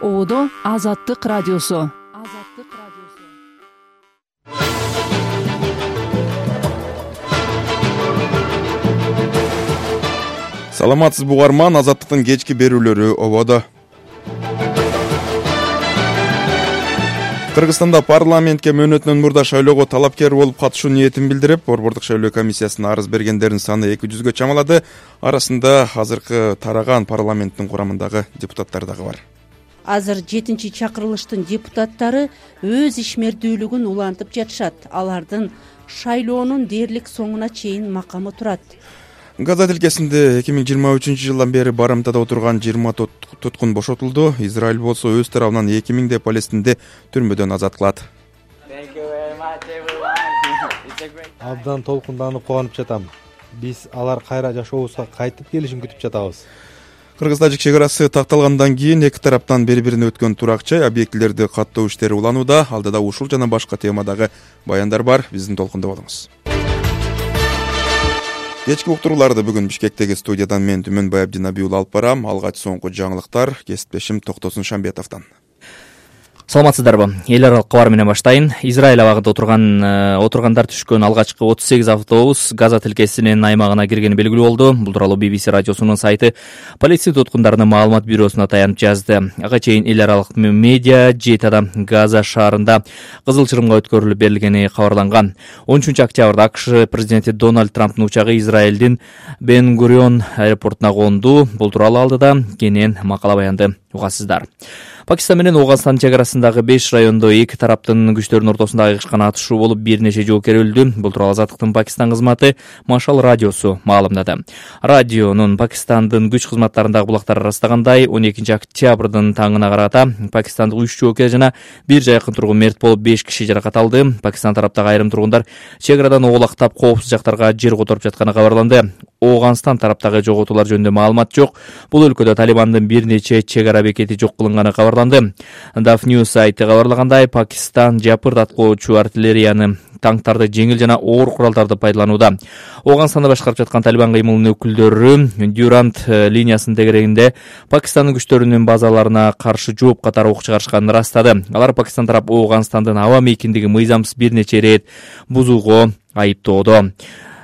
Оодо Азаттык радиосу. Саламатсызбы угарман, Азаттыктын кечки берүүлөрү ободо. Кыргызстанда парламентке мөөнөтүнөн мурда шайлоого талапкер болуп катышуу ниетин билдирип, Борбордук шайлоо комиссиясына арыз бергендердин саны 200гө чамалады. Арасында азыркы тараган парламенттин курамындагы депутаттар дагы бар. Азыр 7-чи чакырылыштын депутаттары өз ишмердүүлүгүн улантып жатышат. Алардын шайлоонун дээрлик соңуна чейин макамы турат. Газа тилкесинде 2023-жылдан бери барымтада отурган 20 туткун бошотулду. Израиль болсо өз тарабынан 2000 палестинди түрмөдөн азат кылат. Абдан толкунданып кубанып жатам. Биз алар кайра жашообузга кайтып келишин күтүп жатабыз. Кыргыз-тажик чек арасы такталгандан кийин эки тараптан бири-бирине өткөн турак-жай, объектилерди каттоо иштери уланууда. Алдыда ушул жана башка темадагы баяндар бар. Биздин толкунда болуңуз. Кечки уктурууларды бүгүн Бишкектеги студиядан мен Түмөнбай Абдинабий уулу алып барам. Алгач соңку жаңылыктар кесиптешим Токтосун Шамбетовдон. Саламатсыздарбы? Эл аралык кабар менен баштайын. Израиль абагында отургандар түшкөн алгачкы 38 автобус Газа тилкесинин аймагына киргени белгилүү болду. Бул тууралуу BBC радиосунун сайты полиция туткундарынын маалымат бюросуна таянып жазды. Ага чейин эл аралык медиа жетада Газа шаарында кызыл чырымга өткөрүлүп берилгени кабарланган. 13 октябрда АКШ президенти Дональд Трамптын учагы Израилдин Бен-Гурион аэропортуна конду. Бул тууралуу алдыда кенен макала баянды угасыздар. Пакистан менен Ооганстан чек арасындагы 5 райондо эки тараптын күчтөрүнүн ортосунда айгышкан атышуу болуп, бир нече жоокер өлдү. Бул тууралуу Азаттыктын Пакистан кызматы Машал радиосу маалымдады. Радионун Пакистандын күч кызматтарындагы булактары ырастагандай, 12 октябрдын таңына карата пакистандык 3 жоокер жана бир жайкын тургун мерт болуп, 5 киши жаракат алды. Пакистан тараптагы айрым тургундар чек арадан оолактап коопсуз жактарга жер которуп жатканы кабарланды. Ооганстан тараптагы жоготуулар жөнүндө маалымат жок. Бул өлкөдө Талибандын бир нече чек ара бекети жок кылынганы кабарланды. Daf News сайты кабарлагандай, Пакистан жапырдаткоочу артиллерияны, танктарды, жеңил жана оор куралдарды пайдаланууда. Ооганстанда башкарып жаткан Талибан кыймылынын өкүлдөрү Дюрант линиясынын тегерегинде Пакистандын күчтөрүнүн базаларына каршы жооп катары ок чыгарышканын ырастады. Алар Пакистан тарап Ооганстандын аба мейкиндиги мыйзамсыз бир нече рет бузууга айыптоодо.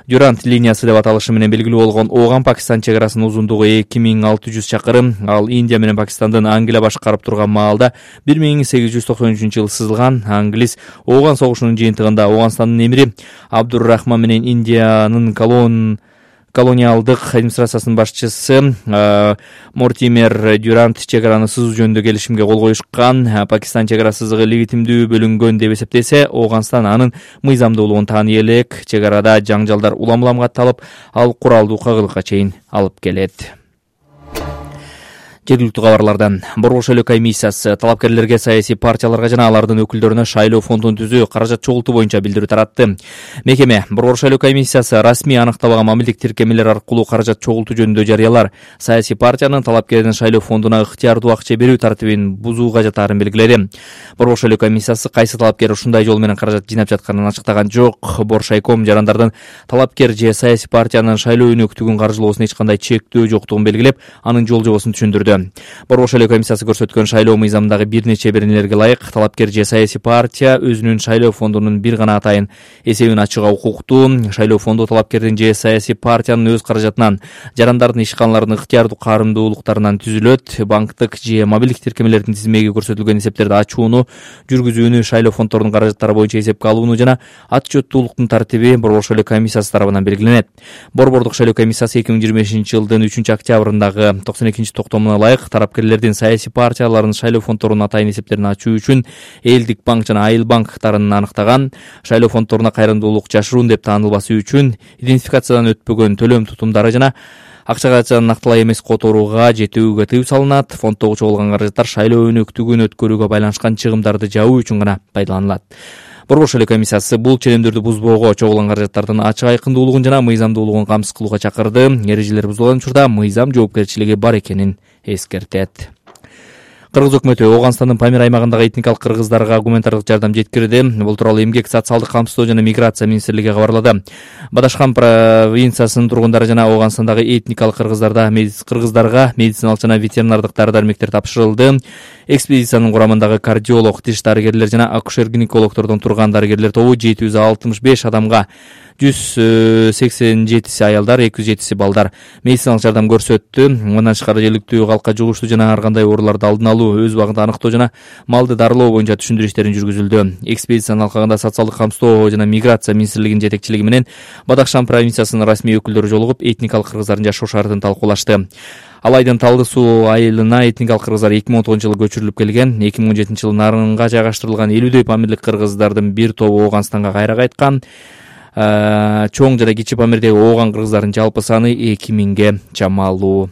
Дюрант линиясы деп аталышы менен белгилүү болгон Ооган-Пакистан чек арасынын узундугу 2600 чакырым. Ал Индия менен Пакистандын Англия башкарып турган маалда 1893-жылы сызылган. Англис Ооган согушунун жыйынтыгында Ооганстандын эмири Абдуррахман менен Индиянын колониалдык администрациясынын башчысы Мортимер Дюрант чек араны сызуу жөнүндө келишимге кол коюшкан. Пакистан чек ара сызыгы легитимдүү бөлүнгөн деп эсептесе, Ооганстан анын мыйзамдуулугун тааный элек. Чек арада жаңжалдар улам-улам катталып, ал куралдуу кагылыкка чейин алып келет. Жергиликтүү кабарлардан Борбор шайлоо комиссиясы талапкерлерге, саясий партияларга жана алардын өкүлдөрүнө шайлоо фондун түзүү, каражат чогултуу боюнча билдирүү таратты. Мекеме Борбор шайлоо комиссиясы расмий аныктабаган мамилдик тиркемелер аркылуу каражат чогултуу жөнүндө жарыялар. Саясий партиянын талапкердин шайлоо фондуна ыктыярдуу акча берүү тартибин бузууга жатаарын белгиледи. Борбор шайлоо комиссиясы кайсы талапкер ушундай жол менен каражат жыйнап жатканын ачыктаган жок. Боршайком жарандардын талапкер же саясий партиянын шайлоо өнөктүгүн каржылоосуна эч кандай чектөө жоктугун белгилеп, анын жол жобосун түшүндүрдү. Борбор шайлоо комиссиясы көрсөткөн шайлоо мыйзамындагы бир нече беренелерге ылайык талапкер же саясий партия өзүнүн шайлоо фондунун бир гана атайын эсебин ачууга укуктуу. Шайлоо фонду талапкердин же саясий партиянын өз каражатынан, жарандардын ишканаларынын ыктыярдуу карымдуулуктарынан түзүлөт. Банктык же мобилдик тиркемелердин тизмеги көрсөтүлгөн эсептерди ачууну, жүргүзүүнү, шайлоо фонддорунун каражаттары боюнча эсепке алууну жана отчеттуулуктун тартиби Борбор шайлоо комиссиясы тарабынан белгиленет. Борбордук шайлоо комиссиясы 2025-жылдын 3-октябрындагы 92-чи токтомуна ылайык тарапкерлердин саясий партияларынын шайлоо фонддорунун атайын эсептерин ачуу үчүн Элдик банк жана Айыл банктарын аныктаган. Шайлоо фонддоруна кайрымдуулук жашыруун деп таанылбасы үчүн идентификациядан өтпөгөн төлөм тутумдары жана акча каражатын нактылай эмес которууга жетүүгө тыюу салынат. Фонддогу чогулган каражаттар шайлоо өнөктүгүн өткөрүүгө байланышкан чыгымдарды жабуу үчүн гана пайдаланылат. Борбор шайлоо комиссиясы бул ченемдерди бузбоого, чогулган каражаттардын ачык айкындуулугун жана мыйзамдуулугун камсыз кылууга чакырды. Эрежелер бузулган учурда мыйзам жоопкерчилиги бар экенин эскертет. Кыргыз өкмөтү Ооганстандын Памир аймагындагы этникалык кыргыздарга гуманитардык жардам жеткирди. Бул тууралуу Эмгек, социалдык камсыздоо жана миграция министрлиги кабарлады. Бадашхан провинциясынын тургундары жана Ооганстандагы этникалык кыргыздарга медициналык жана ветеринардык дары-дармектер тапшырылды. Экспедициянын курамындагы кардиолог, тиш дарыгерлер жана акушер-гинекологдордон турган дарыгерлер тобу 765 адамга 187 аялдар, 207 балдар медициналык жардам көрсөттү. Мындан тышкары желиктүү, калка жугуштуу жана ар кандай ооруларды алдын алуу, өз убагында аныктоо жана малды дарылоо боюнча түшүндүрүү иштерин жүргүзүлдү. Экспедициянын алкагында социалдык камсыздоо жана миграция министрлигинин жетекчилиги менен Бадахшан провинциясынын расмий өкүлдөрү жолугуп, этникалык кыргыздардын жашоо шартын талкуулашты. Ал айдын Талды суу айылына этникалык кыргыздар 2010 жылы көчүрүлүп келген. 2017 жылы нарынга жайгаштырылган 50дөй памирлик кыргыздардын бир тобу Ооганстанга кайра кайткан. Чоң жана кичи Памирдеги ооган кыргыздардын жалпы саны 2000ге чамалуу.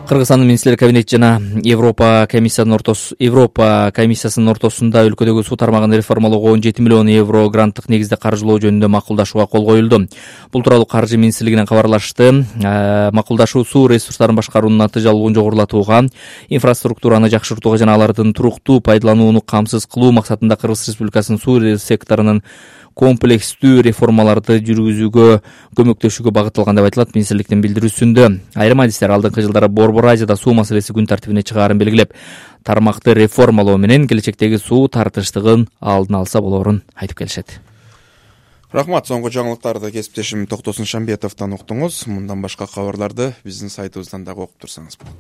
Кыргызстандын министрлер кабинети жана Европа комиссиясынын ортосунда өлкөдөгү суу тармагын реформалоого 17 миллион евро гранттык негизде каржылоо жөнүндө макулдашууга кол коюлду. Бул тууралуу Каржы министрлигинен кабарлашты. Макулдашуу суу ресурстарын башкаруунун натыйжалуулугун жогорулатууга, инфраструктураны жакшыртууга жана алардын туруктуу пайдаланууну камсыз кылуу максатында Кыргыз Республикасынын суу секторунун комплекстүү реформаларды жүргүзүүгө көмөктөшүүгө багытталган деп айтылат министрликтин билдирүүсүндө. Айрым адистер алдыңкы жылдары Борбор Азияда суу маселеси күн тартибине чыгаарын белгилеп, тармакты реформалоо менен келечектеги суу тартыштыгын алдын алса болоорун айтып келишет. Рахмат. Соңку жаңылыктарды кесиптешим Токтосун Шамбетовдон уктуңуз. Мындан башка кабарларды биздин сайтыбыздан дагы окуп турсаңыз болот.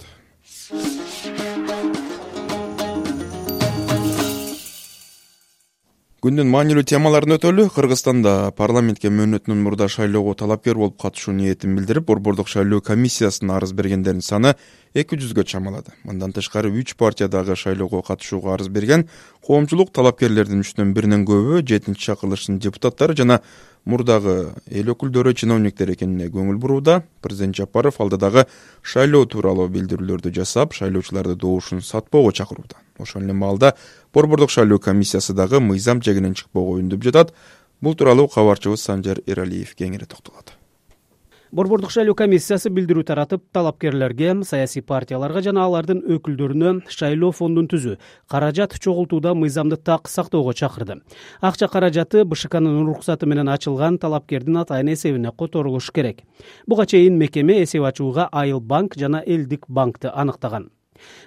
Күндүн маанилүү темаларын өтөлү. Кыргызстанда парламентке мөөнөтүнөн мурда шайлоого талапкер болуп катышуу ниетин билдирип, Борбордук шайлоо комиссиясына арыз бергендердин саны 200гө чамалады. Мындан тышкары 3 партия дагы шайлоого катышууга арыз берген. Коомчулук талапкерлердин 3/1 көбү 7-чакырылыштын депутаттары жана мурдагы эл өкүлдөрү, чиновниктер экенине көңүл бурууда. Президент Жапаров алда дагы шайлоо тууралуу билдирүүлөрдү жасап, шайлоочуларды добушун сатпоого чакырууда. Ошол эле маалда Борбордук шайлоо комиссиясы дагы мыйзам жегинен чыкпоого үндөп жатат. Бул тууралуу кабарчыбыз Санжар Эралиев кеңири токтолот. Борбордук шайлоо комиссиясы билдирүү таратып, талапкерлерге, саясий партияларга жана алардын өкүлдөрүнө шайлоо фондун түзүү, каражат чогултууда мыйзамды так сактоого чакырды. Акча каражаты БШКнын уруксаты менен ачылган талапкердин атайын эсебине которулуш керек. Буга чейин мекеме эсеп ачууга Айыл банк жана Элдик банкты аныктаган.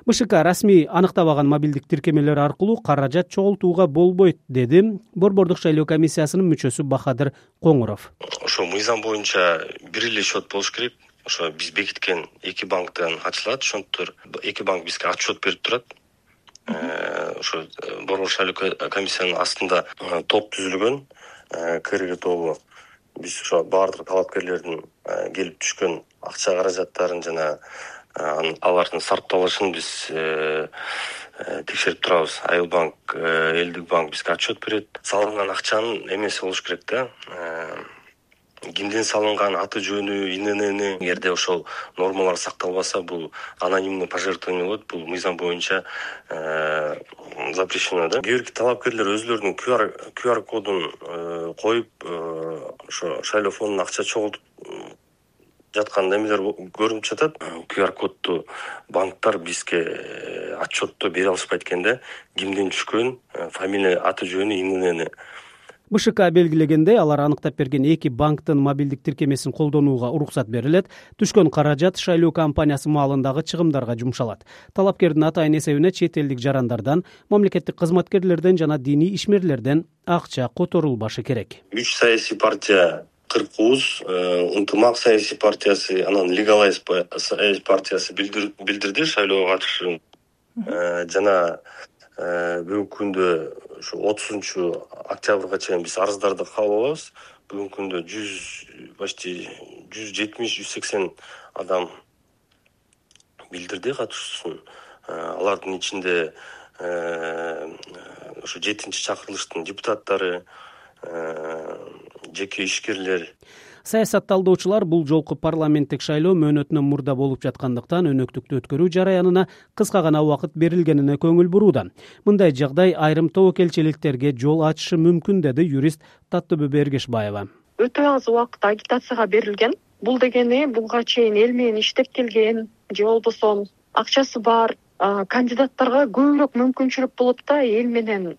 БШК расмий аныктабаган мобилдик тиркемелер аркылуу каражат чогултууга болбойт, деди Борбордук шайлоо комиссиясынын мүчөсү Бахадыр Коңуров. Ошо мыйзам боюнча бир эле счет болуш керек. Ошо биз бекиткен 2 банктан ачылат. Ошонтор 2 банк бизге отчет берип турат. Ошо Борбор шайлоо комиссиянын астында топ түзүлгөн, КРГ тобу. Биз ошо баардык талапкерлердин келип түшкөн акча каражаттарын жана алардын сарпталышын биз текшерип турабыз. Айыл банк, Элдик банк бизге отчет берет. Салынган акчанын эмеси болуш керек да. Кимден салынган, аты жөнү, ИНН. Эгерде ошол нормалар сакталбаса, бул анонимный пожертвование болот. Бул мыйзам боюнча запрещено да. Кээ бир талапкерлер өзлөрүнүн QR кодун коюп, ошо шайлоо фондуна акча чогултуп жаткан немелер көрүнүп жатат. QR кодду банктар бизге отчетту бере алышпайт экен да. Кимден түшкөн, фамилия, аты жөнү, ИНН. БШК белгилегендей, алар аныктап берген 2 банктын мобилдик тиркемесин колдонууга уруксат берилет. Түшкөн каражат шайлоо кампаниясы маалындагы чыгымдарга жумшалат. Талапкердин атайын эсебине чет элдик жарандардан, мамлекеттик кызматкерлерден жана диний ишмерлерден акча которулбашы керек. 3 саясий партия, Кыркууз, Ынтымак саясий партиясы, анан Легалайз саясий партиясы билдирди шайлоого катышышын. Жана бүгүнкү күндө ушу 30-октябрга чейин биз арыздарды кабыл алабыз. Бүгүнкү күндө почти 170-180 адам билдирди катышуусун. Алардын ичинде ушу 7-чакырылыштын депутаттары, жеке ишкерлер. Саясатталдоочулар бул жолку парламенттик шайлоо мөөнөтүнөн мурда болуп жаткандыктан өнөктүктү өткөрүү жараянына кыска гана убакыт берилгенине көңүл бурууда. Мындай жагдай айрым тобокелчиликтерге жол ачышы мүмкүн, деди юрист Таттыбү Бергешбаева. Өтө аз убакыт агитацияга берилген. Бул дегени буга чейин эл менен иштеп келген же болбосо акчасы бар кандидаттарга көбүрөөк мүмкүнчүлүк болот да эл менен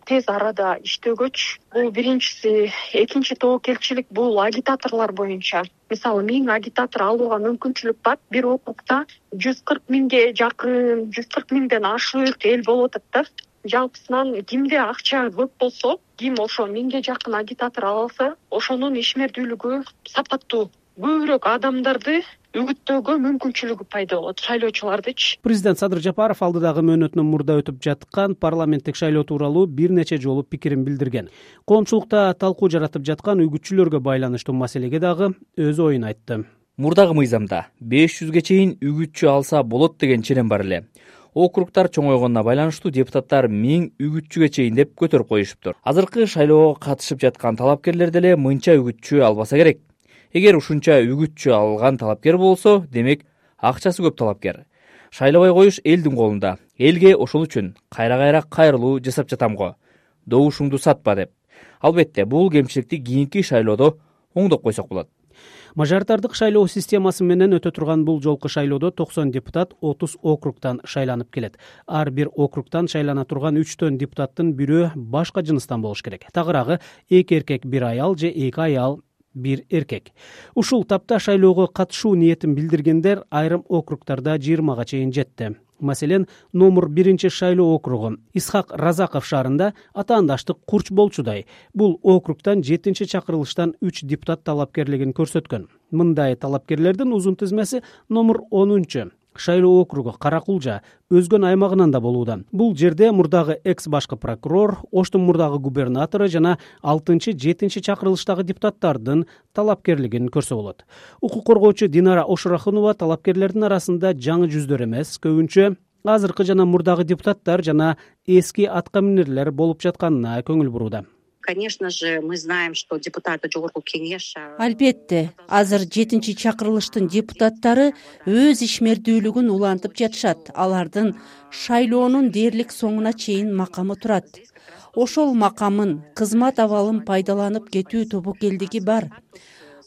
тез арада иштөгөч. Бул биринчиси. Экинчи тобокелчилик бул агитаторлор боюнча. Мисалы 1000 агитатор алууга мүмкүнчүлүк бар. Бир округда 140 миңге жакын, 140 миңден ашык эл болуп атат да. Жалпысынан кимде акча көп болсо, ким ошо 1000ге жакын агитатор ала алса, ошонун ишмердүүлүгү сапаттуу. Көбүрөөк адамдарды үгүттөөгө мүмкүнчүлүгү пайда болот, шайлоочулардычы. Президент Садыр Жапаров алдыдагы мөөнөтүнөн мурда өтүп жаткан парламенттик шайлоо тууралуу бир нече жолу пикирин билдирген. Коомчулукта талкуу жаратып жаткан үгүтчүлөргө байланыштуу маселеге дагы өз оюн айтты. Мурдагы мыйзамда 500ге чейин үгүтчү алса болот деген черем бар эле. Округтар чоңойгонуна байланыштуу депутаттар 1000 үгүтчүгө чейин деп көтөрүп коюшуптур. Азыркы шайлоого катышып жаткан талапкерлер деле мынча үгүтчү албаса керек. Эгер ушунча үгүтчү алган талапкер болсо, демек акчасы көп талапкер. Шайлабай коюш элдин колунда. Элге ошол үчүн кайра кайрылуу жасап жатам го. Добушуңду сатпа деп. Албетте, бул кемчиликти кийинки шайлоодо оңдоп койсок болот. Мажоритардык шайлоо системасы менен өтө турган бул жолку шайлоодо 90 депутат 30 округтан шайланып келет. Ар бир округтан шайлана турган 3 депутаттын бирөө башка жыныстан болуш керек. Тагыраагы 2 эркек 1 аял же 2 аял 1 эркек. Ушул тапта шайлоого катышуу ниетин билдиргендер айрым округтарда 20га чейин жетти. Маселен, номер 1 шайлоо округу Исхак Разаков шаарында атаандаштык Курч Болчудай бул округтан 7 чакырылыштан 3 депутат талапкерлигин көрсөткөн. Мындай талапкерлердин узун тизмеси номер 10 шайлоо округу Каракулжа өзгөн аймагынан да болууда. Бул жерде мурдагы экс башкы прокурор, Оштун мурдагы губернатору жана 6-7 чакырылыштагы депутаттардын талапкерлигин көрсө болот. Укук коргоочу Динара Ошурахунова талапкерлердин арасында жаңы жүздөр эмес, көбүнчө азыркы жана мурдагы депутаттар жана эски аткаминерлер болуп жатканына көңүл бурууда. Конечно же, мы знаем, что депутаты Жогорку Кеңеш. Албетте, азыр 7 чакырылыштын депутаттары өз ишмердүүлүгүн улантып жатышат. Алардын шайлоонун дээрлик соңуна чейин макамы турат. Ошол макамын, кызмат абалын пайдаланып кетүү тобокелдиги бар.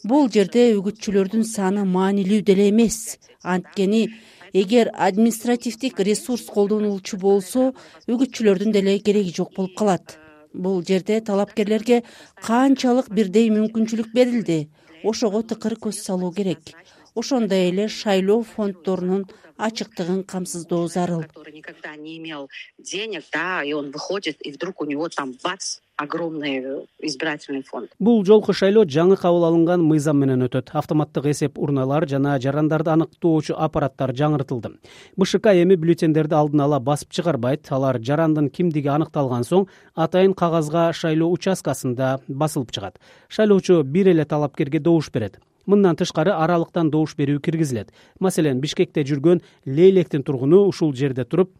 Бул жерде үгүтчүлөрдүн саны маанилүү деле эмес. Анткени эгер административдик ресурс колдонулчу болсо, үгүтчүлөрдүн деле кереги жок болуп калат. Бул жерде талапкерлерге канчалык бирдей мүмкүнчүлүк берилди, ошого тыкыр көз салуу керек. Ошондой эле шайлоо фонддорунун ачыктыгын камсыздоо зарыл. Никогда не имел денег, да, и он выходит, и вдруг у него там бац, огромный избирательный фонд. Бул жолку шайлоо жаңы кабыл алынган мыйзам менен өтөт. Автоматтык эсеп урналар жана жарандарды аныктоочу аппараттар жаңыртылды. БШК эми бюллетендерди алдын ала басып чыгарбайт. Алар жарандын кимдиги аныкталган соң атайын кагазга шайлоо участкасында басылып чыгат. Шайлоочу бир эле талапкерге добуш берет. Мындан тышкары аралыктан добуш берүү киргизилет. Маселен, Бишкекте жүргөн Лейлектин тургуну ушул жерде туруп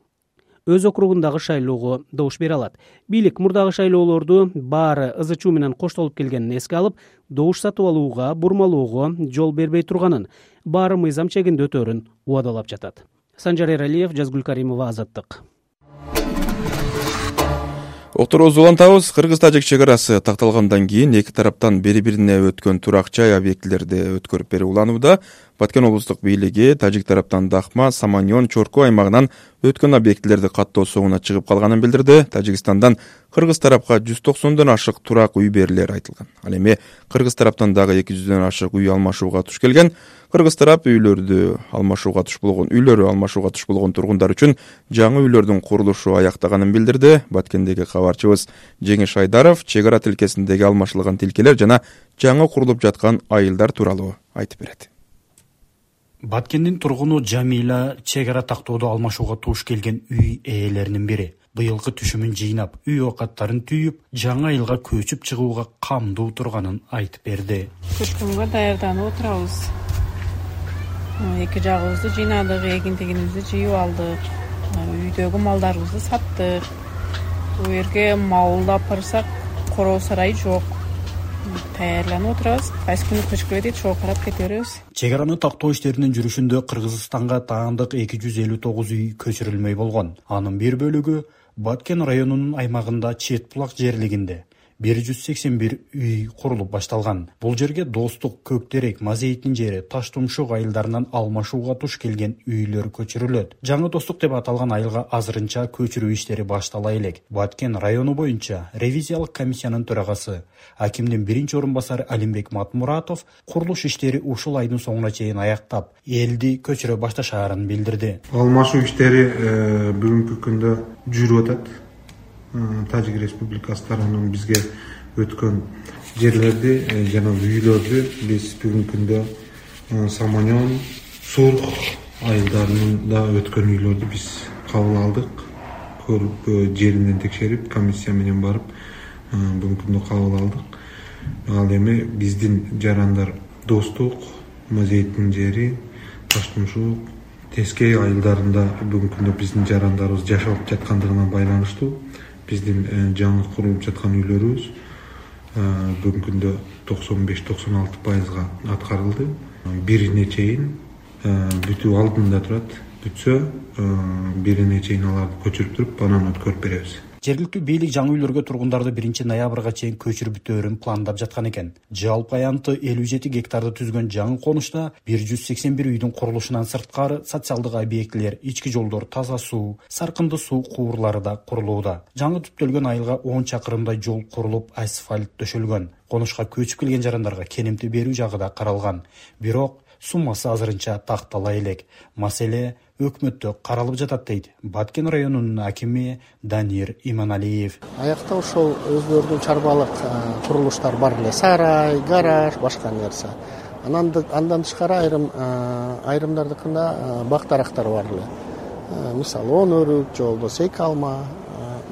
өз округундагы шайлоого добуш бере алат. Бийлик мурдагы шайлоолорду баары ызы-чуу менен коштолуп келгенин эске алып, добуш сатып алууга, бурмалоого жол бербей турганын, баары мыйзам чегинде өтөөрүн убадалап жатат. Санжар Эралиев, Жазгүл Каримова, Азаттык. Окторубузду улантабыз. Кыргыз-тажик чек арасы такталгандан кийин эки тараптан бири-бирине өткөн турак жай объектилерди өткөрүп берүү уланууда. Баткен облустук бийлиги тажик тараптан Дахма, Саманьон, Чорку аймагынан өткөн объектилерди каттоо соңуна чыгып калганын билдирди. Тажикстандан кыргыз тарапка 190дон ашык турак үй берилери айтылган. Ал эми кыргыз тараптан дагы 200дөн ашык үй алмашууга туш келген. Кыргыз тарап үйлөрү алмашууга туш болгон тургундар үчүн жаңы үйлөрдүн курулушу аяктаганын билдирди. Баткендеги кабарчыбыз Жеңиш Айдаров чек ара тилкесиндеги алмашылган тилкелер жана жаңы курулуп жаткан айылдар тууралуу айтып берет. Баткендин тургуну Жамила чек ара тактоодо алмашууга туш келген үй ээлеринин бири. Быйылкы түшүмүн жыйнап, үй окаттарын түйүп, жаңы айылга көчүп чыгууга камдуу турганын айтып берди. Көчкөнгө даярданып отурабыз. Эки жагыбызды жыйнадык, эгин-тегинибизди жыйып алдык. Үйдөгү малдарыбызды саттык. Бул жерге маалда барсак, короо сарай жок. Таярланып отурабыз. Кайсы күнү көчкүлө дейт, шоу карап кете беребиз. Чек араны тактоо иштеринин жүрүшүндө Кыргызстанга таандык 259 үй көчүрүлмөй болгон. Анын бир бөлүгү Баткен районунун аймагында Чет булак жерлигинде, 181 үй курулуп башталган. Бул жерге Достук, Көк терек, Мазейиттин жери, Таш тумшук айылдарынан алмашууга туш келген үйлөр көчүрүлөт. Жаңы Достук деп аталган айылга азырынча көчүрүү иштери баштала элек. Баткен району боюнча ревизиялык комиссиянын төрагасы, акимдин биринчи орун басары Алимбек Матмуратов курулуш иштери ушул айдын соңуна чейин аяктап, элди көчүрө башташаарын билдирди. Алмашуу иштери бүгүнкү күндө жүрүп атат. Тажик Республикасы тарабынан бизге өткөн жерлерди жана үйлөрдү биз бүгүнкү күндө Саманён, Сурх айылдарында өткөн үйлөрдү биз кабыл алдык. Көрүп жеринен текшерип, комиссия менен барып бүгүнкү күндө кабыл алдык. Ал эми биздин жарандар Достук, Мазейиттин жери, Таштумшук, Тескей айылдарында бүгүнкү күндө биздин жарандарыбыз жашап жаткандыгына байланыштуу биздин жаңы курулуп жаткан үйлөрүбүз бүгүнкү күндө 95-96%га аткарылды. Бирине чейин бүтүү алдында турат. Бүтсө бирине чейин аларды көчүрүп туруп, анан өткөрүп беребиз. Жергиликтүү бийлик жаңы үйлөргө тургундарды 1 ноябрга чейин көчүрүп бүтөөрүн пландап жаткан экен. Жалпы аянты 57 гектарды түзгөн жаңы конушта 181 үйдүн курулушунан сырткары социалдык объектилер, ички жолдор, таза суу, саркынды суу куурлары да курулууда. Жаңы түптөлгөн айылга 10 чакырымдай жол курулуп, асфальт төшөлгөн. Конушка көчүп келген жарандарга кенемти берүү жагы да каралган. Бирок суммасы азырынча тактала элек. Маселе өкмөттө каралып жатат дейт Баткен районунун акими Данир Иманалиев. Аякта ошол өздөрүнүн чарбалык курулуштар бар эле, сарай, гараж, башка нерсе. Андан тышкары айрымдардыкында бак дарактар бар эле. Мисалы 10 өрүк, же болбосо 2 алма.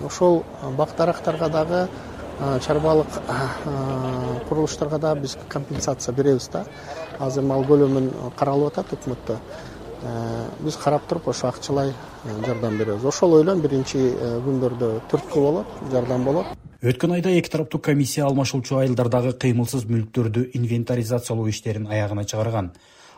Ошол бак дарактарга дагы чарбалык курулуштарга да биз компенсация беребиз да. Азыр ал көлөмүн каралып атат өкмөттө. Биз карап туруп ошо акчалай жардам беребиз. Ошол ойлойм биринчи күндөрдө түрткү болот, жардам болот. Өткөн айда эки тараптуу комиссия алмашуучу айылдардагы кыймылсыз мүлктөрдү инвентаризациялоо иштерин аягына чыгарган.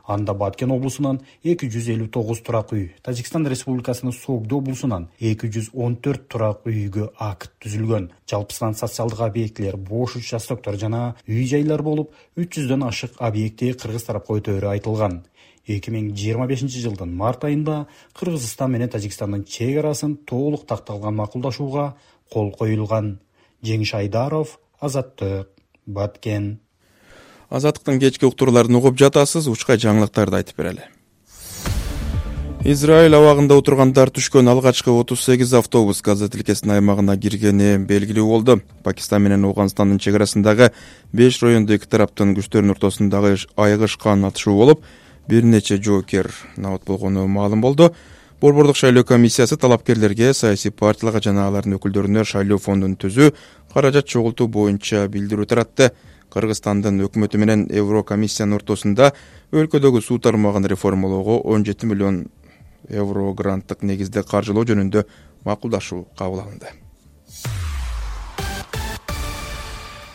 Анда Баткен облусунан 259 турак үй, Тажикстан Республикасынын Согду облусунан 214 турак үйгө акт түзүлгөн. Жалпысынан социалдык объектилер, бош участоктор жана үй-жайлар болуп 300дөн ашык объекти кыргыз тарапка өтөөрү айтылган. 2025 жылдын март айында Кыргызстан менен Тажикстандын чек арасын толук такталган макулдашууга кол коюлган. Жеңиш Айдаров, Азаттык, Баткен. Азаттыктын кечки уктурууларын угуп жатасыз, учкай жаңылыктарды айтып берели. Израиль абагында отургандар түшкөн алгачкы 38 автобус Газа тилкесинин аймагына киргени белгилүү болду. Пакистан менен Ооганстандын чек арасындагы 5 райондо эки тараптын күчтөрүнүн ортосундагы айыгышкан атышуу болуп, бир нече жоокер набат болгону маалым болду. Борбордук шайлоо комиссиясы талапкерлерге саясий партияларга жана алардын өкүлдөрүнө шайлоо фондун түзүү, каражат чогултуу боюнча билдирүү таратты. Кыргызстандын өкмөтү менен Еврокомиссиянын ортосунда өлкөдөгү суу тармагын реформалоого 17 миллион евро гранттык негизде каржылоо жөнүндө макулдашуу кабыл алынды.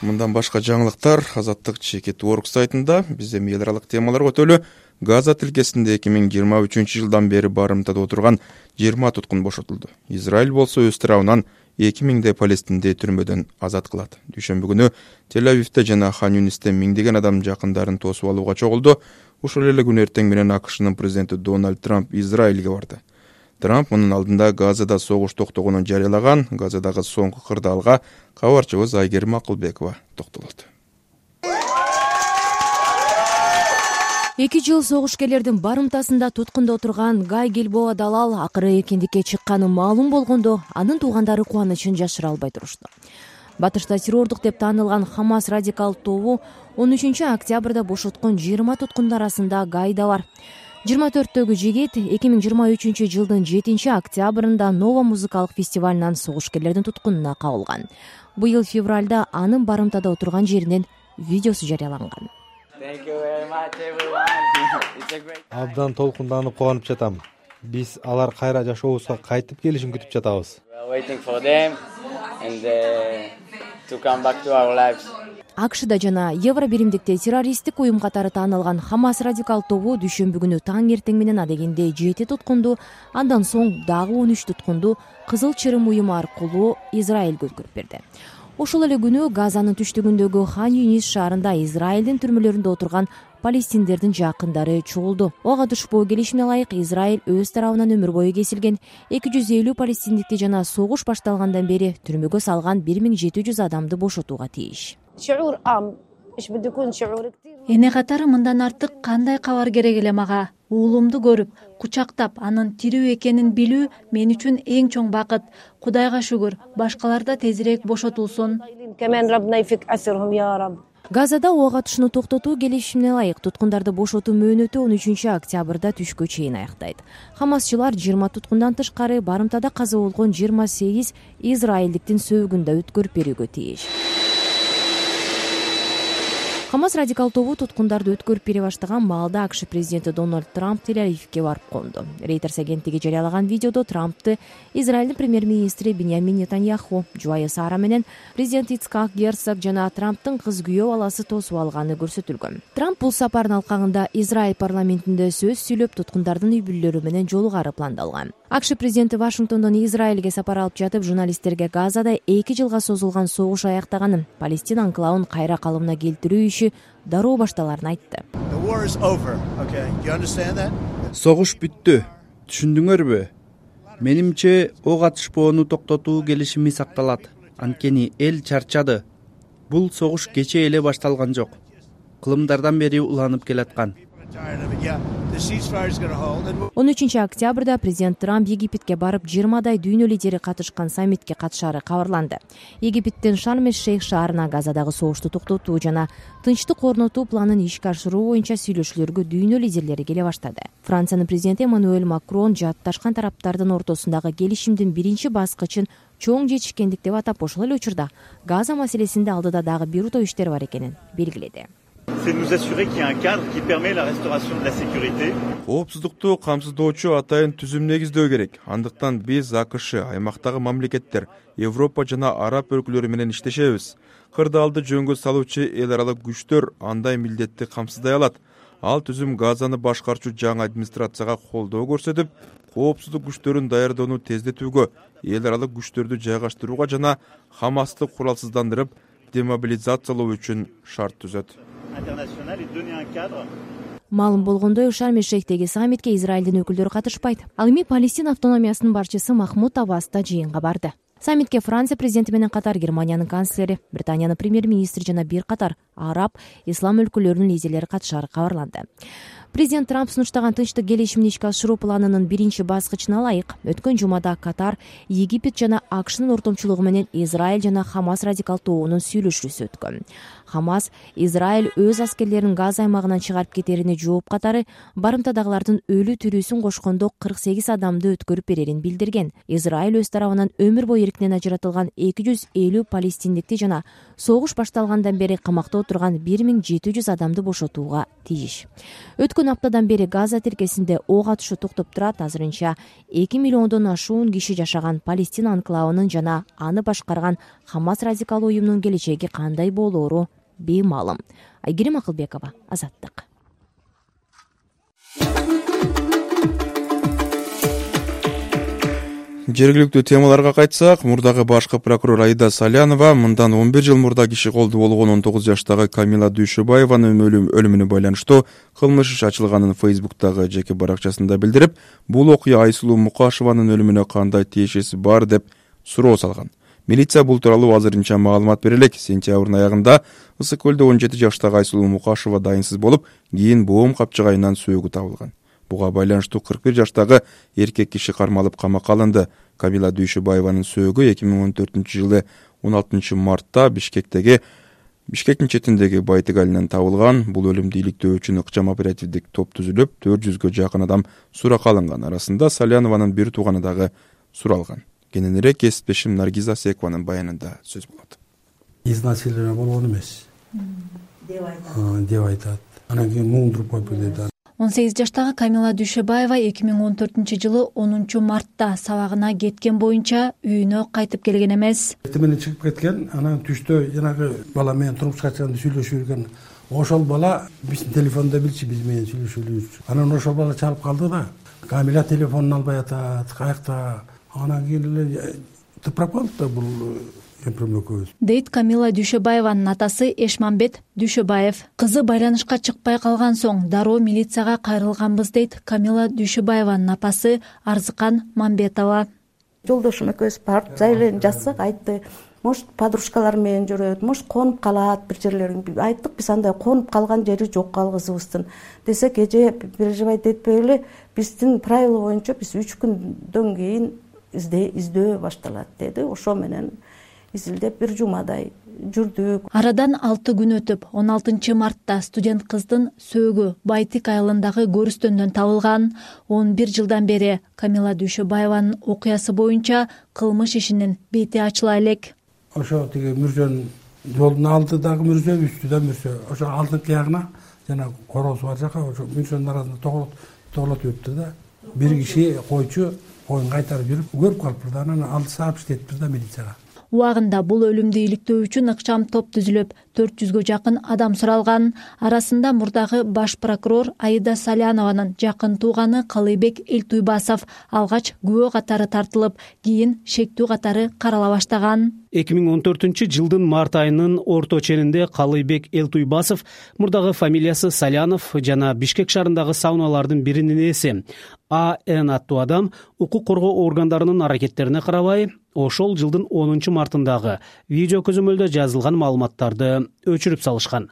Мындан башка жаңылыктар Азаттык Чекет.org сайтында. Биз эми эл аралык темаларга өтөлү. Газа тилкесинде 2023 жылдан бери барымтада отурган 20 туткун бошотулду. Израиль болсо өз тарабынан 2000 палестиндей түрмөдөн азат кылат. Дүйшөмбү күнү Тель-Авивде жана Хан-Юнисте миңдеген адам жакындарын тосуп алууга чогулду. Ошол эле күнү эртең менен АКШнын президенти Дональд Трамп Израилге барды. Трамп мунун алдында Газада согуш токтогонун жарыялаган. Газадагы соңку кырдаалга кабарчыбыз Айгерим Акылбекова токтолот. 2 жыл согушкерлердин барымтасында туткунда отурган Гай Гильбоа Далал акыры эркиндикке чыкканы маалым болгондо, анын туугандары кубанычын жашыра албай турушту. Батышта террордук деп таанылган Хамас радикал тобу 13 октябрда бошоткон 20 туткундар арасында Гай да бар. 24-төгү жигит 2023 жылдын 7 октябрында Нова музыкалык фестивалынан согушкерлердин туткунуна кабылган. Быйыл февралда анын барымтада отурган жеринен видеосу жарыяланган. Абдан толкунданып кубанып жатам. Биз алар кайра жашообузга кайтып келишин күтүп жатабыз. АКШда жана Евробиримдикте террористтик уюм катары таанылган Хамас радикал тобу дүйшөмбү күнү таң эртең менен адегенде 7 туткунду, андан соң дагы 13 туткунду Кызыл Чырым уюму аркылуу Израилге өткөрүп берди. Ошол эле күнү Газанын түштүгүндөгү Хан Юнис шаарында Израилдин түрмөлөрүндө отурган палестиндердин жакындары чогулду. Ага тушпоо келишимине ылайык Израиль өз тарабынан өмүр бою кесилген 250 палестиндикти жана согуш башталгандан бери түрмөгө салган 1700 адамды бошотууга тийиш. Эне катары мындан артык кандай кабар керек эле мага? Уулумду көрүп, кучактап, анын тирүү экенин билүү мен үчүн эң чоң бакыт. Кудайга шүгүр, башкалар да тезирээк бошотулсун. Газада ок атышууну токтотуу келишимине ылайык туткундарды бошотуу мөөнөтү 13 октябрда түшкө чейин аяктайт. Хамасчылар 20 туткундан тышкары барымтада каза болгон 28 израилдиктин сөөгүн да өткөрүп берүүгө тийиш. Хамас радикал тобу туткундарды өткөрүп бере баштаган маалда АКШ президенти Дональд Трамп Тель-Авивге барып конду. Reuters агенттиги жарыялаган видеодо Трампты Израилдин премьер-министри Биньямин Нетаньяху, жубайы Сара менен президент Ицхак Герцог жана Трамптын кыз күйөө баласы тосуп алганы көрсөтүлгөн. Трамп бул сапардын алкагында Израиль парламентинде сөз сүйлөп, туткундардын үй бүлөлөрү менен жолугары пландалган. АКШ президенти Вашингтондон Израилге сапар алып жатып, журналисттерге Газада 2 жылга созулган согуш аяктаганын, Палестина анклавын кайра калыбына келтирүү иши дароо башталарын айтты. Согуш бүттү. Түшүндүңөрбү? Менимче ок атышпоону токтотуу келишими сакталат. Анткени эл чарчады. Бул согуш кечээ эле башталган жок. Кылымдардан бери уланып келаткан. 13 октябрда президент Трамп Египетке барып 20дай дүйнө лидери катышкан саммитке катышары кабарланды. Египеттин Шарм-эль-Шейх шаарына Газадагы согушту токтотуу жана тынчтык орнотуу планын ишке ашыруу боюнча сүйлөшүүлөргө дүйнө лидерлери келе баштады. Франциянын президенти Эммануэль Макрон жаатташкан тараптардын ортосундагы келишимдин биринчи баскычын чоң жетишкендик деп атап, ошол эле учурда Газа маселесинде алдыда дагы бир утоо иштер бар экенин белгиледи. Коопсуздукту камсыздоочу атайын түзүм негиздөө керек. Андыктан биз АКШ, аймактагы мамлекеттер, Европа жана араб өлкөлөрү менен иштешебиз. Кырдаалды жөнгө салуучу эл аралык күчтөр андай милдетти камсыздай алат. Ал түзүм Газаны башкарчу жаңы администрацияга колдоо көрсөтүп, коопсуздук күчтөрүн даярдоону тездетүүгө, эл аралык күчтөрдү жайгаштырууга жана Хамасты куралсыздандырып, демобилизациялоо үчүн шарт түзөт. Маалым болгондой, Шарм-эль-Шейхтеги саммитке Израилдин өкүлдөрү катышпайт. Ал эми Палестина автономиясынын башчысы Махмуд Аббас да жыйынга барды. Саммитке Франция президенти менен катар Германиянын канцлери, Британиянын премьер-министри жана бир катар араб, ислам өлкөлөрүнүн лидерлери катышары кабарланды. Президент Трамп сунуштаган тынчтык келишимин ишке ашыруу планынын биринчи баскычына ылайык өткөн жумада Катар, Египет жана АКШнын ортомчулугу менен Израиль жана Хамас радикал тобунун сүйлөшүүсү өткөн. Хамас Израиль өз аскерлерин Газа аймагынан чыгарып кетерине жооп катары барымтадагылардын өлү тирүүсүн кошкондо 48 адамды өткөрүп берерин билдирген. Израиль өз тарабынан өмүр бою эркинен ажыратылган 250 палестиндикти жана согуш башталгандан бери камакта отурган 1700 адамды бошотууга тийиш. Өткөн аптадан бери Газа тиркесинде ок атышуу токтоп турат. Азырынча 2 миллиондон ашуун киши жашаган Палестина анклавынын жана аны башкарган Хамас радикал уюмунун келечеги кандай болоору беймаалым. Айгерим Акылбекова, Азаттык. Жергиликтүү темаларга кайтсак, мурдагы башкы прокурор Аида Салянова мындан 11 жыл мурда киши колду болгон 19 жаштагы Камила Дүйшөбаеванын өлүмүнө байланыштуу кылмыш иш ачылганын Фейсбуктагы жеке баракчасында билдирип, бул окуя Айсулуу Мукашеванын өлүмүнө кандай тиешеси бар деп суроо салган. Милиция бул тууралуу азырынча маалымат бере элек. Сентябрдын аягында Ысык көлдө 17 жаштагы Айсулуу Мукашева дайынсыз болуп, кийин боом капчыгайынан сөөгү табылган. Буга байланыштуу 41 жаштагы эркек киши кармалып камакка алынды. Камила Дүйшөбаеванын сөөгү 2014-жылы 16 мартта Бишкектин четиндеги Байтык айылынан табылган. Бул өлүмдү иликтөө үчүн ыкчам оперативдик топ түзүлүп, 400гө жакын адам суракка алынган. Арасында Салянованын бир тууганы дагы суралган. Кененирээк кесиптешим Наргиза Секованын баянында сөз болот. Изнасилование болгон эмес деп айтат. Анан кийин муңдуруп коюп кетет. 18 жаштагы Камила Дүйшөбаева 2014-жылы 10 мартта сабагына кеткен боюнча үйүнө кайтып келген эмес. Эртең менен чыгып кеткен, анан түштө жанагы бала менен турмушка чыкканда сүйлөшүп жүргөн. Ошол бала биздин телефонду билчү, биз менен сүйлөшүбүз. Анан ошол бала чалып калды да, Камила телефонун албай атат, каякта. Анан кийин эле тыпырап калды да, бул кемпирим экөөбүз, дейт Камила Дүйшөбаеванын атасы Эшмамбет Дүйшөбаев. Кызы байланышка чыкпай калган соң дароо милицияга кайрылганбыз дейт Камила Дүйшөбаеванын апасы Арзыкан Мамбетова. Жолдошум экөөбүз барып заявление жазсак, айтты, может подружкалар менен жүрөт, может конуп калат бир жерлерин. Айттык, биз андай конуп калган жери жок калгызыбыздын. Десек, эже переживать этпей эле, биздин правила боюнча биз 3 күндөн кийин издөө башталат деди. Ошо менен изилдеп бир жумадай жүрдүк. Арадан 6 күн өтүп, 16 мартта студент кыздын сөөгү Байтик айылындагы көрүстөндөн табылган. 11 жылдан бери Камила Дүйшөбаеванын окуясы боюнча кылмыш ишинин бети ачыла элек. Ошо тиги мүрзөнүн жолдун алдыдагы мүрзө, үстүдө мүрзө. Ошо алдыңкы ягына жана короосу бар жака ошо мүрзөнүн арасында тоголотуп өттү да. Бир киши койчу коюн кайтарып жүрүп көрүп калыптыр да, анан алды сообщить этиптир да милицияга. Убагында бул өлүмдү иликтөө үчүн ыкчам топ түзүлүп, 400гө жакын адам суралган. Арасында мурдагы баш прокурор Аида Салянованын жакын тууганы Калыйбек Элтуйбасов алгач күбө катары тартылып, кийин шектүү катары карала баштаган. 2014-жылдын март айынын орто ченинде Калыйбек Элтуйбасов, мурдагы фамилиясы Салянов жана Бишкек шаарындагы сауналардын биринин ээси А.Н. аттуу адам укук коргоо органдарынын аракеттерине карабай, ошол жылдын 10 мартындагы видео көзөмөлдө жазылган маалыматтарды өчүрүп салышкан.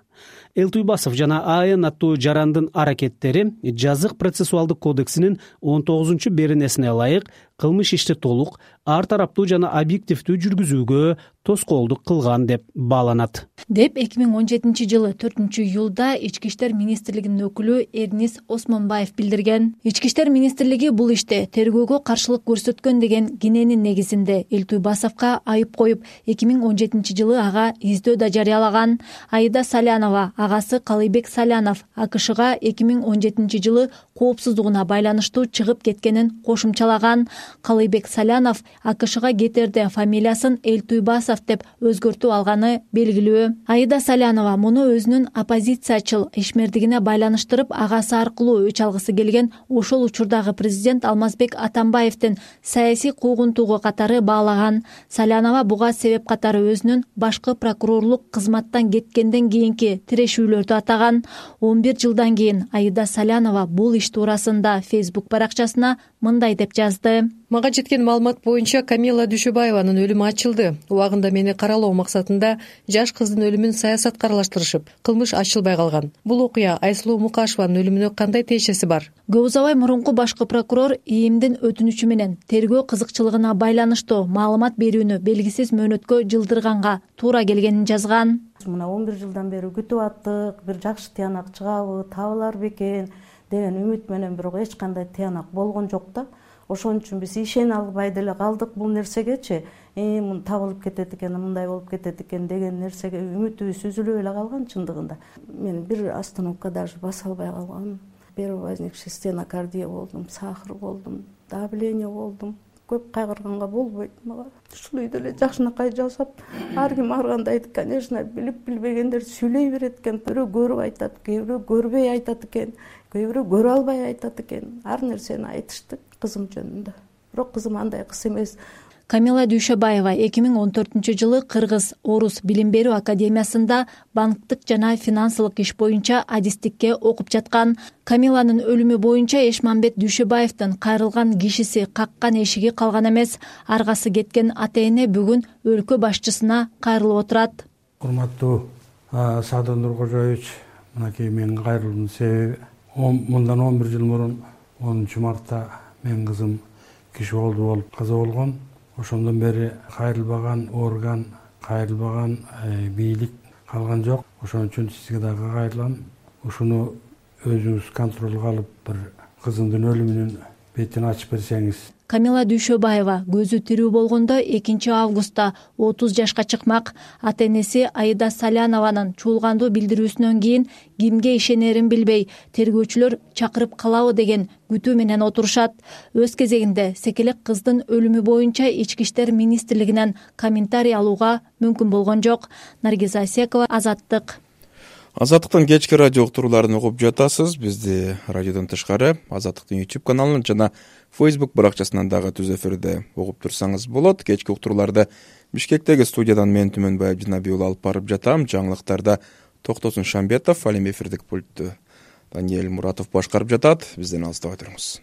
Элтуйбасов жана А.Н. аттуу жарандын аракеттери жазык процессуалдык кодексинин 19-беренесине ылайык кылмыш ишти толук, ар тараптуу жана объективдүү жүргүзүүгө тоскоолдук кылган деп бааланат. Деп 2017-жылы 4-июлда Ички иштер министрлигинин өкүлү Эрнис Осмонбаев билдирген. Ички иштер министрлиги бул иште тергөөгө каршылык көрсөткөн деген киненин негизинде Элтуйбасовго айып коюп, 2017-жылы ага издөө да жарыялаган. Аида Салянова агасы Калыйбек Салянов АКШга 2017-жылы коопсуздугуна байланыштуу чыгып кеткенин кошумчалаган. Калыйбек Салянов АКШга кетерде фамилиясын Элтуйбасов деп өзгөртүп алганы белгилүү. Аида Салянова муну өзүнүн оппозициячыл ишмердигине байланыштырып, агасы аркылуу өч алгысы келген ошол учурдагы президент Алмазбек Атамбаевдин саясий куугунтугу катары баалаган. Салянова буга себеп катары өзүнүн башкы прокурорлук кызматтан кеткенден кийинки тирешүүлөрдү атаган. 11 жылдан кийин Аида Салянова бул иш туурасында Facebook баракчасына мындай деп жазды. Мага жеткен маалымат боюнча Камила Дүйшөбаеванын өлүмү ачылды. Убагында мени каралоо максатында жаш кыздын өлүмүн саясатка аралаштырышып, кылмыш ачылбай калган. Бул окуя Айсулуу Мукашеванын өлүмүнө кандай тиешеси бар? Көп узабай мурунку башкы прокурор ИИМдин өтүнүчү менен тергөө кызыкчылыгына байланыштуу маалымат берүүнү белгисиз мөөнөткө жылдырганга туура келгенин жазган. Мына 11 жылдан бери күтүп аттык, бир жакшы тыянак чыгабы, табылар бекен деген үмүт менен, бирок эч кандай тыянак болгон жок да. Ошон үчүн биз ишене албай деле калдык бул нерсегечи. Мун табылып кетет экен, мындай болуп кетет экен деген нерсеге үмүтүбүз үзүлүп эле калган чындыгында. Мен бир остановка даже баса албай калгам. Первый возникший стенокардия болдум, сахар болдум, давление болдум. Көп кайгырганга болбойт мага. Ушул үйдө эле жакшынакай жасап, ар ким ар кандайды, конечно, билип билбегендер сүйлөй берет экен. Бирөө көрүп айтат, кээ бирөө көрбөй айтат экен, кээ бирөө көрө албай айтат экен. Ар нерсени айтышты кызым жөнүндө. Бирок кызым андай кыз эмес. Камила Дүйшөбаева 2014-жылы Кыргыз-Орус билим берүү академиясында банктык жана финансылык иш боюнча адистикке окуп жаткан. Камиланын өлүмү боюнча Эшмамбет Дүйшөбаевдин кайрылган кишиси каккан эшиги калган эмес. Аргасы кеткен ата-эне бүгүн өлкө башчысына кайрылып отурат. Урматтуу Садыр Нуркожоевич, мынакей менин кайрылуумдун себеби мындан 11 жыл мурун 10 мартта менин кызым киши болуп каза болгон. Ошондон бери кайрылбаган орган, кайрылбаган бийлик калган жок. Ошон үчүн сизге дагы кайрылам. Ушуну өзүңүз контролго алып, бир кызымдын өлүмүнүн бетин ачып берсеңиз. Камила Дүйшөбаева көзү тирүү болгондо 2 августта 30 жашка чыкмак. Ата-энеси Аида Салянованын чуулгандуу билдирүүсүнөн кийин кимге ишенерин билбей, тергөөчүлөр чакырып калабы деген күтүү менен отурушат. Өз кезегинде секелек кыздын өлүмү боюнча Ички иштер министрлигинен комментарий алууга мүмкүн болгон жок. Наргиза Асекова, Азаттык. Азаттыктын кечки радио уктурууларын угуп жатасыз. Бизди радиодон тышкары Азаттыктын YouTube каналынан жана Facebook баракчасынан дагы түз эфирде угуп турсаңыз болот. Кечки уктурууларды Бишкектеги студиядан мен Түмөнбаев Жинабек уулу алып барып жатам. Жаңылыктарда Токтосун Шамбетов, ал эми эфирдик пультту Даниэль Муратов башкарып жатат. Бизден алыстабай туруңуз.